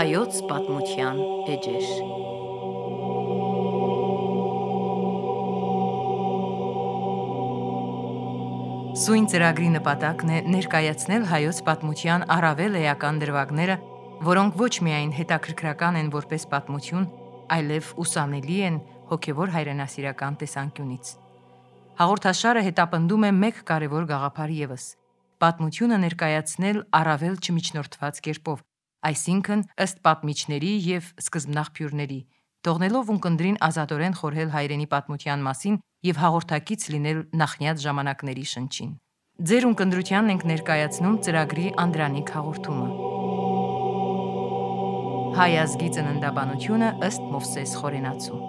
Հայոց պատմության էջեր։ Սույն ծրագրի նպատակն է ներկայացնել հայոց պատմության առավել էական դրվագները, որոնք ոչ միայն հետաքրքրական են որպես պատմություն, այլև ուսանելի են հոգևոր հայրենասիրական տեսանկյունից։ Հաղորդաշարը հետապնդում է մեկ կարևոր գաղափար ևս՝ պատմությունը ներկայացնել առավել չմիջնորդված կերպով, այսինքն ըստ պատմիչների և սկզբնաղբյուրների, թողնելով ունկնդրին ազատորեն խորհել հայրենի պատմության մասին և հաղորդակից լինել նախնյաց ժամանակների շնչին։ Ձեր ունկնդրությանն ենք ներկայացնում ծրագրի անդրանիկ հաղորդումը։ Հայ ազգի ծննդաբանությունը ըստ Մովսես Խորենացու։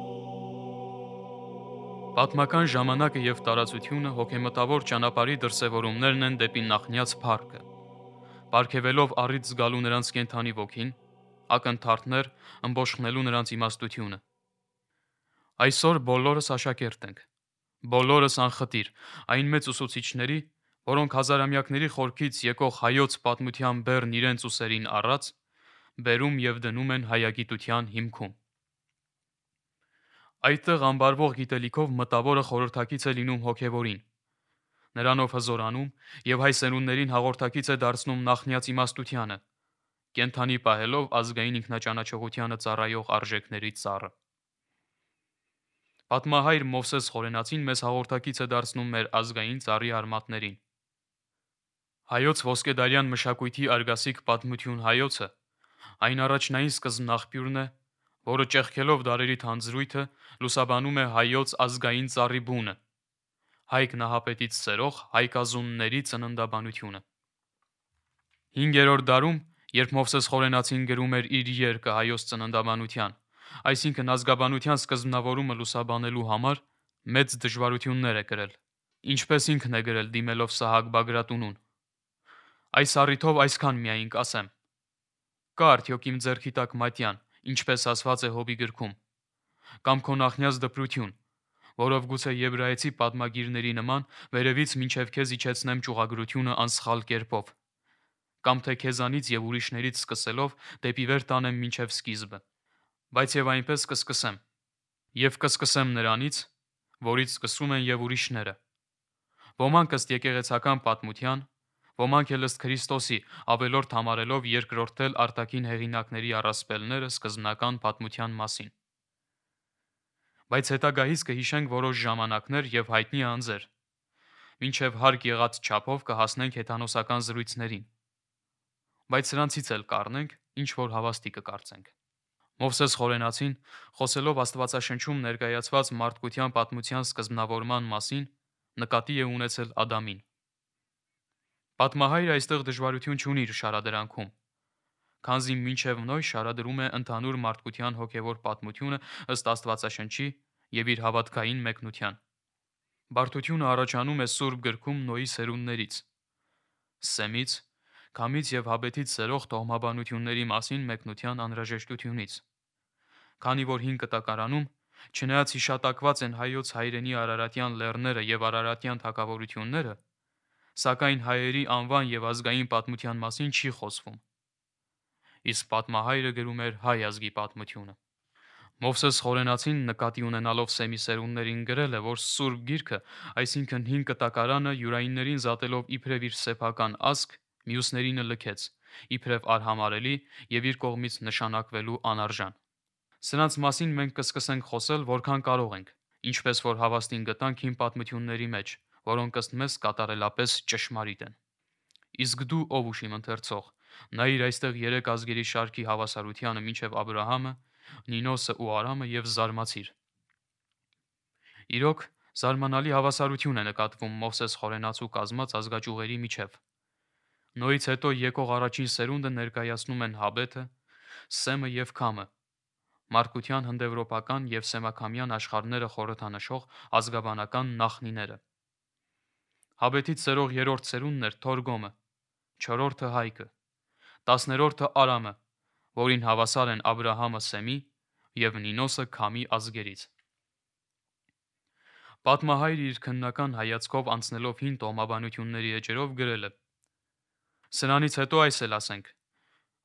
Պատմական ժամանակը և տարածությունը հոգեմտավոր ճանապարհի դրսևորումներն են դեպի նախնյաց փառքը։ Պարգևելով առիթ զգալու նրանց կենդանի ոգին, ակնթարթներ ըմբոշխնելու նրանց իմաստությունը։ Այսօր բոլորս աշակերտ ենք, բոլորս անխտիր, այն մեծ ուսուցիչների, որոնք հազարամյակների խորքից եկող հայոց պատմության բեռն իրենց ուսերին առած, բերում և դնում են հայագիտության հիմքում։ Այդտեղ ամբարվող գիտելիքով մտավորը խորհրդակից է լինում հոգևորին, նրանով հզորանում և հայ սերունդներին հաղորդակից է դարձնում նախնյաց իմաստությանը, կենդանի պահելով ազգային ինքնաճանաչողությանը ծառայող արժեքների ծառը։ Պատմահայր Մովսես Խորենացին մեզ հաղորդակից է դարձնում մեր ազգային ծառի արմատներին։ Հայոց ոսկեդարյան մշակույթի արգասիկ պատմություն հայոցը այն առաջնային սկզբնաղբյուրն է, որը ճեղքելով դարերի թանձրույթը լուսաբանում է հայոց ազգային ծառի բունը, Հայկ Նահապետից սերող հայկազունների ծննդաբանությունը։ 5-րդ դարում, երբ Մովսես Խորենացին գրում էր իր երկը հայոց ծննդաբանության, այսինքն ազգաբանության սկզբնավորումը լուսաբանելու համար, մեծ դժվարություններ է կրել, ինչպես ինքն է գրել դիմելով Սահակ Բագրատունուն։ Այս առիթով այսքան միայն կասեմ. կա արդյոք իմ ձեռքի տակ մատյան, ինչպես ասված է Հոբի գրքում, կամ քո նախնյաց դպրություն, որով գուցե եբրայեցի պատմագիրների նման վերևից մինչև քեզ իջեցնեմ ճյուղագրությունը անսխալ կերպով, կամ թե քեզանից և ուրիշներից սկսելով դեպի վեր տանեմ մինչև սկիզբը, բայց և այնպես կսկսեմ, և կսկսեմ նրանից, որից սկսում են և ուրիշները, ոմանք ըստ եկեղեցական պատմության, ոմանք էլ ըստ Քրիստոսի, ավելորդ համարելով երկրորդել արտաքին հեղինակների առասպելները սկզբնական պատմության մասին։ Բայց հետագայից կհիշենք որոշ ժամանակներ և հայտնի անձեր, մինչև հարկ եղած չափով կհասնենք հեթանոսական զրույցներին, բայց սրանցից էլ կառնենք, ինչ որ հավաստի կկարծենք։ Մովսես Խորենացին, խոսելով Աստվածաշնչում ներկայացված մարդկության պատմության սկզբնավորման մասին, նկատի է ունեցել Ադամին։ Պատմահայրը այստեղ դժվարություն չունի իր շարադրանքում, քանզի մինչև Նոյ շարադրում է ընդհանուր մարդկության հոգևոր պատմությունը ըստ Աստվածաշնչի և իր հավատքային մեկնության։ Բարդությունը առաջանում է Սուրբ գրքում Նոյի սերունդներից՝ Սեմից, Քամից և Հաբետից սերող տոհմաբանությունների մասին մեկնության անհրաժեշտությունից, քանի որ Հին Կտակարանում, չնայած հիշատակված են հայոց հայրենի արարատյան լեռները և արարատյան թագավորությունները, սակայն հայերի անվան և ազգային պատմության մասին չի խոսվում, իսկ պատմահայրը գրում էր հայ ազգի պատմությունը։ Մովսես Խորենացին նկատի ունենալով Սեմի սերունդներին գրել է, որ Սուրբ Գիրքը, այսինքն Հին Կտակարանը յուրայիններին զատելով իբրև իր սեփական ազգ, մյուսներինը լքեց, իբրև արհամարելի և իր կողմից նշանակվելու անարժան։ Սրանց մասին մենք կսկսենք խոսել որքան կարող ենք, ինչպես որ հավաստին գտանք հին պատմությունների մեջ, որոնք ըստ մեզ կատարելապես ճշմարիտ են։ Իսկ դու ով ուշիմ ընթերցող, նայիր այստեղ 3 ազգերի շարքի հավասարությանը մինչև Աբրահամը, Նինոսը ու Արամը և զարմացիր։ Իրոք, զարմանալի հավասարություն է նկատվում Մովսես Խորենացու կազմած ազգաճյուղերի միջև։ Նոյից հետո եկող առաջին սերունդը ներկայացնում են Հաբեթը, Սեմը և Քամը, մարդկության հնդեվրոպական և սեմաքամյան աշխարհները խորհրդանշող ազգաբանական նախնիները։ Հաբետից սերող երրորդ սերունդն էր Թորգոմը, 4-րդը Հայկը, 10-րդը Արամը, որին հավասար են Աբրահամը Սեմի և Նինոսը Քամի ազգերից։ Պատմահայրը իր քննական հայացքով անցնելով հին տոհմաբանությունների էջերով գրել է. Սրանից հետո այս էլ ասենք.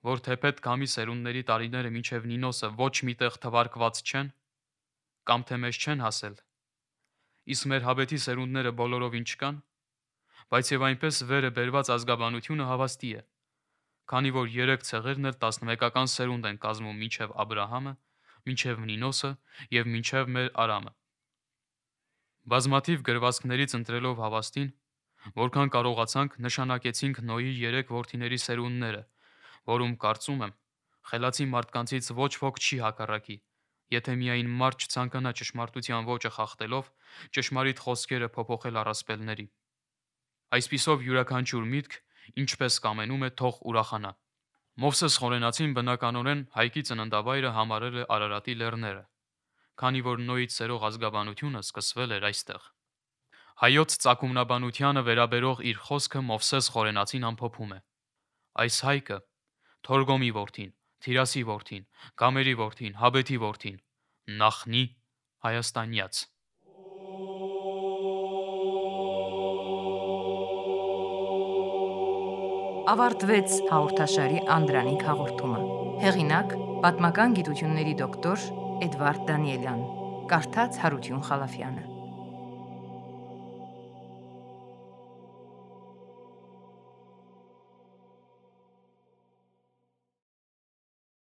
որ թեպետ կամի սերունդների տարիները մինչև Նինոսը ոչ միտեղ թվարկված չեն, կամ թե մեզ չեն հասել, իսկ մեր հաբետի սերունդները բոլորովին չկան, բայց եւ այնպես վերը բերված ազգաբանությունը հավաստի է, քանի որ 3 ցեղերն էլ 11-ական սերունդ են կազմում մինչև Աբրահամը, մինչև Նինոսը եւ մինչև մեր Արամը։ Բազմաթիվ գրվածքներից ընտրելով հավաստին, որքան կարողացանք, նշանակեցինք Նոյի 3 որդիների սերունդները, որում կարծում եմ, խելացի մարդկանցից ոչ ոք չի հակառակի, եթե միայն մարդ չցանկանա ճշմարտության ոճը խախտելով ճշմարիտ խոսքերը փոփոխել առասպելների։ Այսպիսով յուրաքանչյուր միտք, ինչպես կամենում է, թող ուրախանա։ Մովսես Խորենացին բնականորեն Հայկի ծննդավայրը համարել է Արարատի լեռները, քանի որ Նոյից սերող ազգաբանությունը սկսվել էր այստեղ։ Հայոց ծագումնաբանությանը վերաբերող իր խոսքը Մովսես Խորենացին ամփոփում է. այս Հայկը, Թորգոմի որդին, Թիրասի որդին, Գամերի որդին, Հաբեթի որդին, Նախնի Հայաստանյաց։ Ավարտվեց հաղորդաշարի Անդրանիկ հաղորդումը։ Հեղինակ՝ պատմական գիտությունների դոկտոր Էդվարդ Դանիելյան։ Կարդաց Հարություն Խալաֆյանը։